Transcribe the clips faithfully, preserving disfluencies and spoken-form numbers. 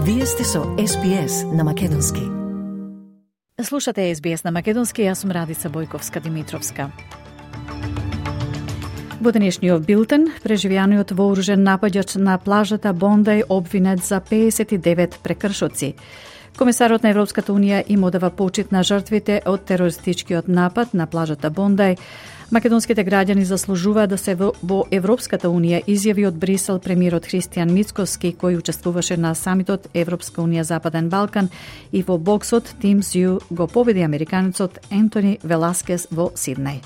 Вие сте со Ес Би Ес на Македонски. Слушате Ес Би Ес на Македонски, јас сум Радица Бојковска-Димитровска. Во денешниот билтен, преживеаниот вооружен напаѓач на плажата Бондај обвинет за пеесет и девет прекршоци. Комесарот на Европската Унија им одава почит на жртвите од терористичкиот напад на плажата Бондај. Македонските граѓани заслужуваат да се во Европската Унија, изјави од Брисел премиерот Христијан Мицкоски, кој учествуваше на самитот Европска Унија Западен Балкан, и во боксот Тим Сју го победи американецот Ентони Веласкес во Сиднеј.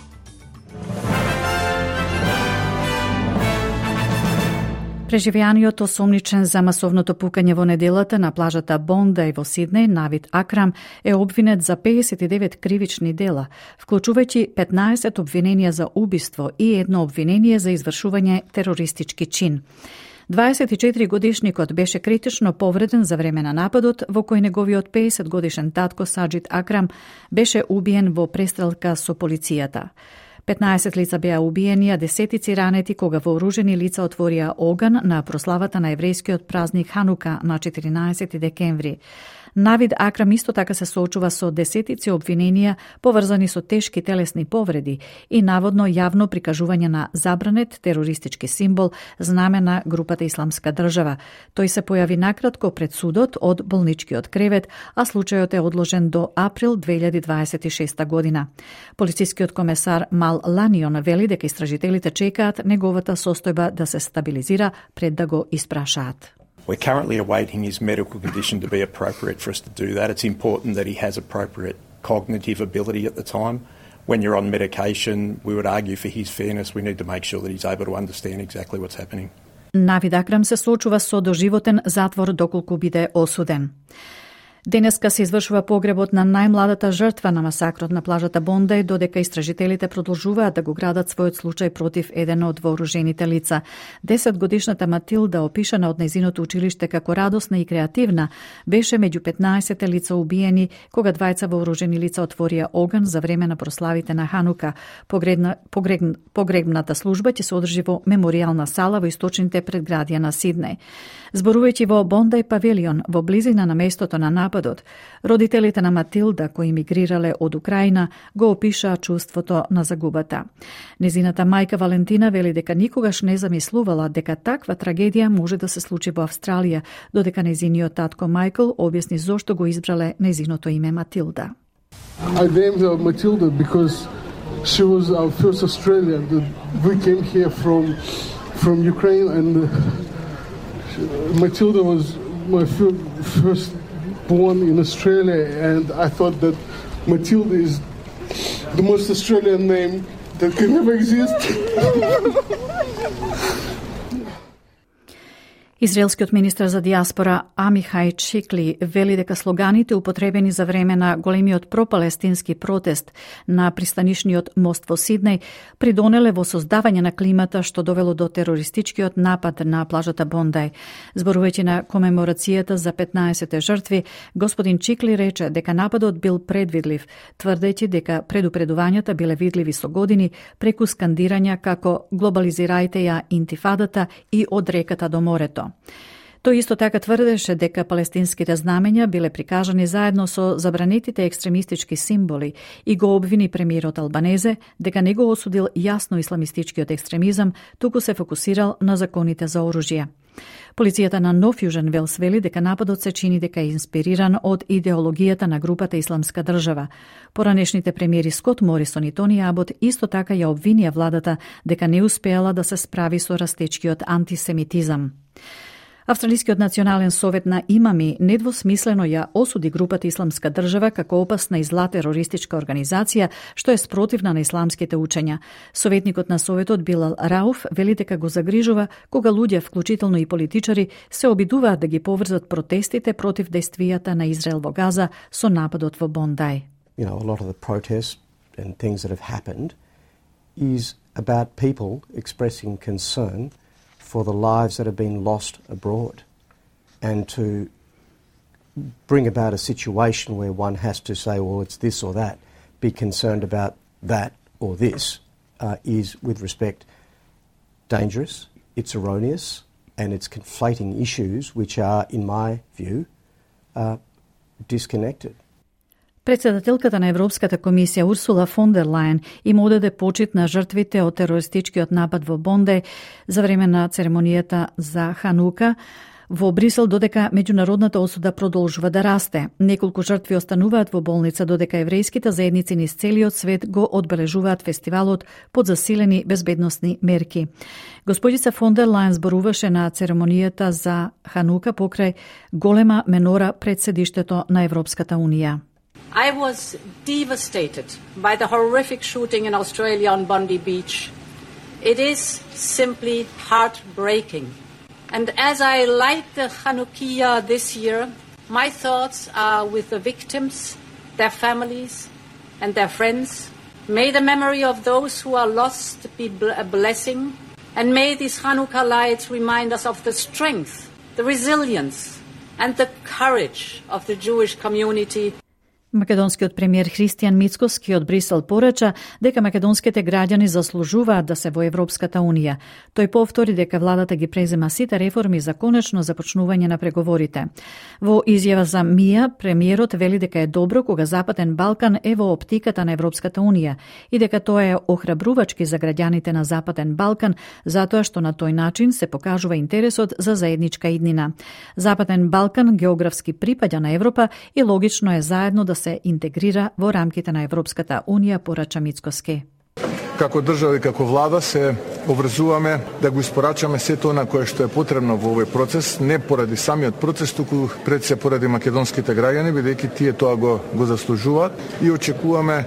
Преживеаниот осомничен за масовното пукање во неделата на плажата Бондај во Сиднеј, Навид Акрам, е обвинет за пеесет и девет кривични дела, вклучувајќи петнаесет обвиненија за убиство и едно обвинение за извршување терористички чин. дваесет и четири годишникот беше критично повреден за време на нападот, во кој неговиот пеесет годишен татко Саџид Акрам беше убиен во престрелка со полицијата. петнаесет лица беа убиени, а десетици ранети кога вооружени лица отворија оган на прославата на еврејскиот празник Ханука на четиринаесети декември. Навид Акрам исто така се соочува со десетици обвиненија поврзани со тешки телесни повреди и наводно јавно прикажување на забранет терористички символ, знаме на групата Исламска држава. Тој се појави накратко пред судот од болничкиот кревет, а случајот е одложен до април две илјади дваесет и шеста година. Полицискиот комесар Мал Ланион вели дека истражителите чекаат неговата состојба да се стабилизира пред да го испрашаат. We're currently awaiting his medical condition to be appropriate for us to do that. It's important that he has appropriate cognitive ability at the time. When you're on medication, we would argue for his fairness, we need to make sure that he's able to understand exactly what's happening. Навид Акрам се соочува со доживотен затвор доколку биде осуден. Денеска се извршува погребот на најмладата жртва на масакрот на плажата Бондај, додека истражителите продолжуваат да го градат својот случај против еден од вооружените лица. Десетгодишната Матилда, опишана од нејзиното училиште како радосна и креативна, беше меѓу петнаесет лица убиени кога двајца вооружени лица отворија оган за време на прославите на Ханука. Погребна, погреб, погребната служба ќе се одржи во меморијална сала во источните предградија на Сиднеј. Зборувајќи во Бондај павилион, во близина на местото на нападот, родителите на Матилда, кои мигрирале од Украина, го опишаа чувството на загубата. Незината мајка Валентина вели дека никогаш не замислувала дека таква трагедија може да се случи во Австралија, додека незиниот татко Мајкл објасни зошто го избрале незиното име Матилда. I named her Matilda because she was our first Australian. We came here from from Ukraine, and Matilda was my first born in Australia, and I thought that Matilda is the most Australian name that can ever exist. Израелскиот министар за диаспора Амихај Шикли вели дека слоганите употребени за време на големиот пропалестински протест на пристанишниот мост во Сиднеј придонеле во создавање на климата што довело до терористичкиот напад на плажата Бондај. Зборувајќи на комеморацијата за петнаесет жртви, господин Чикли рече дека нападот бил предвидлив, тврдејќи дека предупредувањата биле видливи со години преку скандирања како глобализирајте ја интифадата и од реката до морето. Тој исто така тврдеше дека палестинските знамења биле прикажани заедно со забранетите екстремистички символи и го обвини премиерот Албанезе дека не го осудил јасно исламистичкиот екстремизам, туку се фокусирал на законите за оружје. Полицијата на Нов Јужен Велс вели дека нападот се чини дека е инспириран од идеологијата на групата Исламска држава. Поранешните премиери Скот Морисон и Тони Абот исто така ја обвинија владата дека не успеала да се справи со растечкиот антисемитизам. Австралискиот национален совет на имами недвосмислено ја осуди групата Исламска држава како опасна и зла терористичка организација што е спротивна на исламските учења. Советникот на советот Билал Рауф вели дека го загрижува кога луѓе, вклучително и политичари, се обидуваат да ги поврзат протестите против действијата на Израел во Газа со нападот во Бондај. You know, a lot of the protests and things that have happened is about people expressing concern for the lives that have been lost abroad, and to bring about a situation where one has to say, well, it's this or that, be concerned about that or this, uh, is, with respect, dangerous, it's erroneous, and it's conflating issues which are, in my view, are disconnected. Председателката на Европската комисија Урсула фон дер Лајен им одаде почит на жртвите од терористичкиот напад во Бонде за време на церемонијата за Ханука во Брисел, додека меѓународната осуда продолжува да расте. Неколку жртви остануваат во болница, додека еврејските заедници низ целиот свет го одбележуваат фестивалот под засилени безбедносни мерки. Господица фон дер Лајен зборуваше на церемонијата за Ханука покрај голема менора пред седиштето на Европската унија. I was devastated by the horrific shooting in Australia on Bondi Beach. It is simply heartbreaking. And as I light the Chanukiah this year, my thoughts are with the victims, their families, and their friends. May the memory of those who are lost be a blessing, and may these Hanukkah lights remind us of the strength, the resilience, and the courage of the Jewish community. Македонскиот премиер Христијан Мицкоски од Брисел порача дека македонските граѓани заслужуваат да се во Европската унија. Тој повтори дека владата ги презема сите реформи за конечно започнување на преговорите. Во изјава за МИА, премиерот вели дека е добро кога Западен Балкан е во оптиката на Европската унија и дека тоа е охрабрувачки за граѓаните на Западен Балкан, затоа што на тој начин се покажува интересот за заедничка иднина. Западен Балкан географски припаѓа на Европа и логично е заедно да се интегрира во рамките на Европската унија, порача Мицкоски. Како држава и како влада се обврзуваме да го испорачаме сето она кое што е потребно во овој процес, не поради самиот процес, туку пред се поради македонските граѓани, бидејќи тие тоа го, го заслужуваат и очекуваме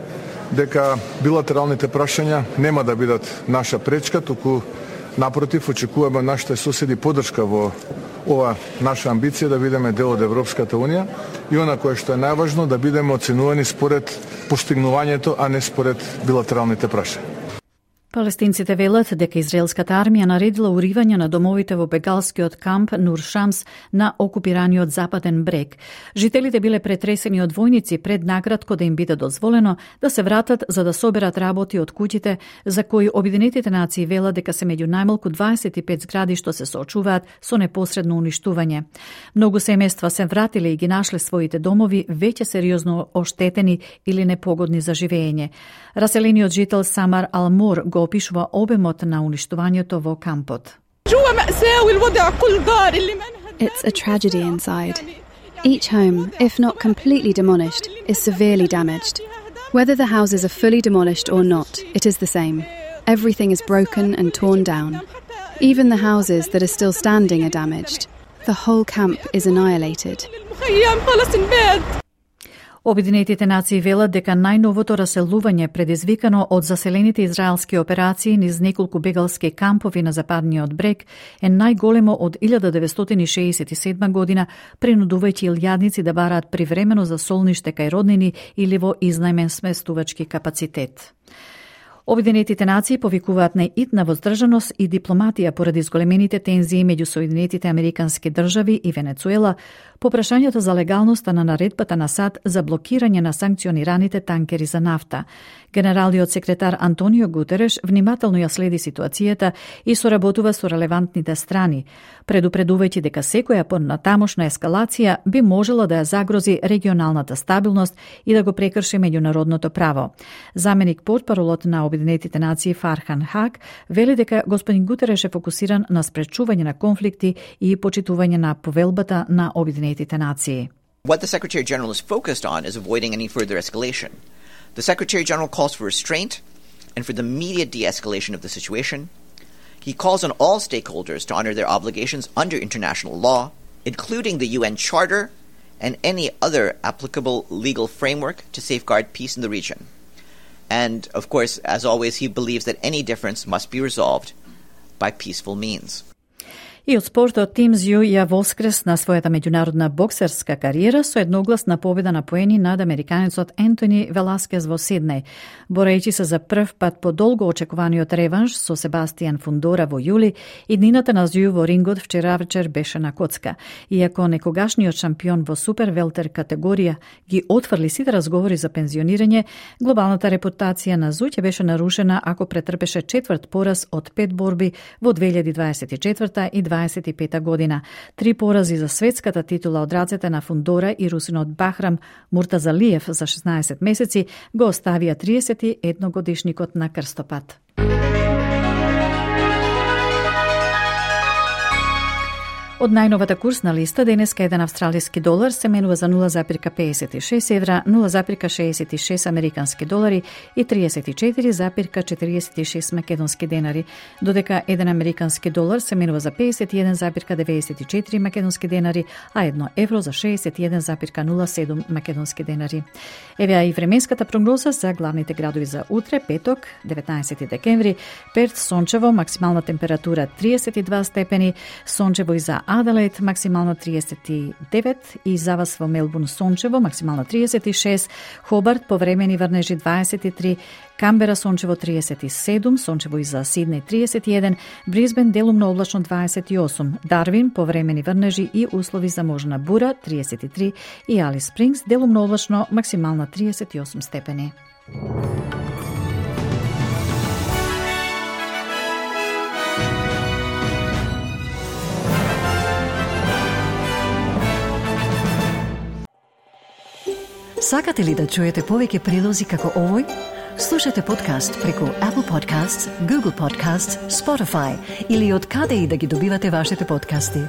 дека билатералните прашања нема да бидат наша пречка, туку напротив очекуваме нашите соседи поддршка во ова наша амбиција да бидеме дел од Европската унија и она кое што е најважно да бидеме оценувани според постигнувањето, а не според билатералните прашања. Палестинците велат дека израелската армија наредила уривање на домовите во бегалскиот камп Нур Шамс на окупираниот Западен брег. Жителите биле претресени од војници пред накратко да им биде дозволено да се вратат за да соберат работи од куќите за кои Обединетите нации велат дека се меѓу најмалку дваесет и пет згради што се соочуваат со непосредно уништување. Многу семејства се вратиле и ги нашле своите домови веќе сериозно оштетени или непогодни за живење. Раселениот жител Самар Алмор го опишува обемот на уништувањето во кампот. It's a tragedy inside. Each home, if not completely demolished, is severely damaged. Whether the houses are fully demolished or not, it is the same. Everything is broken and torn down. Even the houses that are still standing are damaged. The whole camp is annihilated. Обединетите нации велат дека најновото раселување предизвикано од заселените израелски операции низ неколку бегалски кампови на Западниот брег е најголемо од илјада деветстотини шеесет и седма година, принудувајќи илјадници да бараат привремено за солниште кај роднини или во изнајмен сместувачки капацитет. Обединетите нации повикуваат на итна воздржаност и дипломатија поради зголемените тензии меѓу Соединетите Американски држави и Венецуела по прашањето за легалноста на наредбата на САД за блокирање на санкционираните танкери за нафта. Генералниот секретар Антонио Гутереш внимателно ја следи ситуацијата и соработува со релевантните страни, предупредувајќи дека секоја понатамошна ескалација би можела да ја загрози регионалната стабилност и да го прекрши меѓународното право. Заменик портпаролот на Обединетите нации Фархан Хак вели дека господин Гутереш е фокусиран на спречување на конфликти и почитување на повелбата на Обединетите нации. What the Secretary General is focused on is avoiding any further escalation. The Secretary General calls for restraint and for the immediate de-escalation of the situation. He calls on all stakeholders to honor their obligations under international law, including the U N Charter and any other applicable legal framework to safeguard peace in the region. And, of course, as always, he believes that any difference must be resolved by peaceful means. И од спортот Тим Зју ја воскресна својата меѓународна боксерска кариера со едногласна победа на поени над американецот Ентони Веласкес во Сиднеј, борејќи се за прв пат по долго очекуваниот реванш со Себастијан Фундора во јули. Иднината на Зју во рингот вчера вечер беше на коцка. Иако некогашниот шампион во супер велтер категорија ги отфрли сите разговори за пензионирање, глобалната репутација на Зју ќе беше нарушена ако претрпеше четврт пораз од пет борби во две илјади дваесет и четврта и две илјади дваесет и пета година. Три порази за светската титула од рацете на Фундора и русинот Бахрам Муртазалиев за шеснаесет месеци го оставија триесет и едногодишникот на крстопат. Од најновата курсна листа, денеска еден австралиски долар се менува за нула запир педесет и шест евра, нула запир шеесет и шест американски долари и триесет и четири запир четириесет и шест македонски денари, додека еден американски долар се менува за педесет и еден запир деветдесет и четири македонски денари, а едно евро за шеесет и еден запир нула седум македонски денари. Евеа и временската прогноза за главните градови за утре, петок, деветнаесети декември, Перт сончево, максимална температура триесет и два степени, сончево и за Аделаид максимално триесет и девет и за вас во Мелбурн сончево максимално триесет и шест, Хобарт повремени врнежи дваесет и три, Камбера сончево триесет и седум, сончево и за Сиднеј триесет и еден, Брисбен делумно облачно дваесет и осум, Дарвин повремени врнежи и услови за можна бура триесет и три и Алис Спрингс делумно облачно максимално триесет и осум степени. Сакате ли да чуете повеќе прилози како овој? Слушате подкаст преку Apple Podcasts, Google Podcasts, Spotify или од каде и да ги добивате вашите подкасти.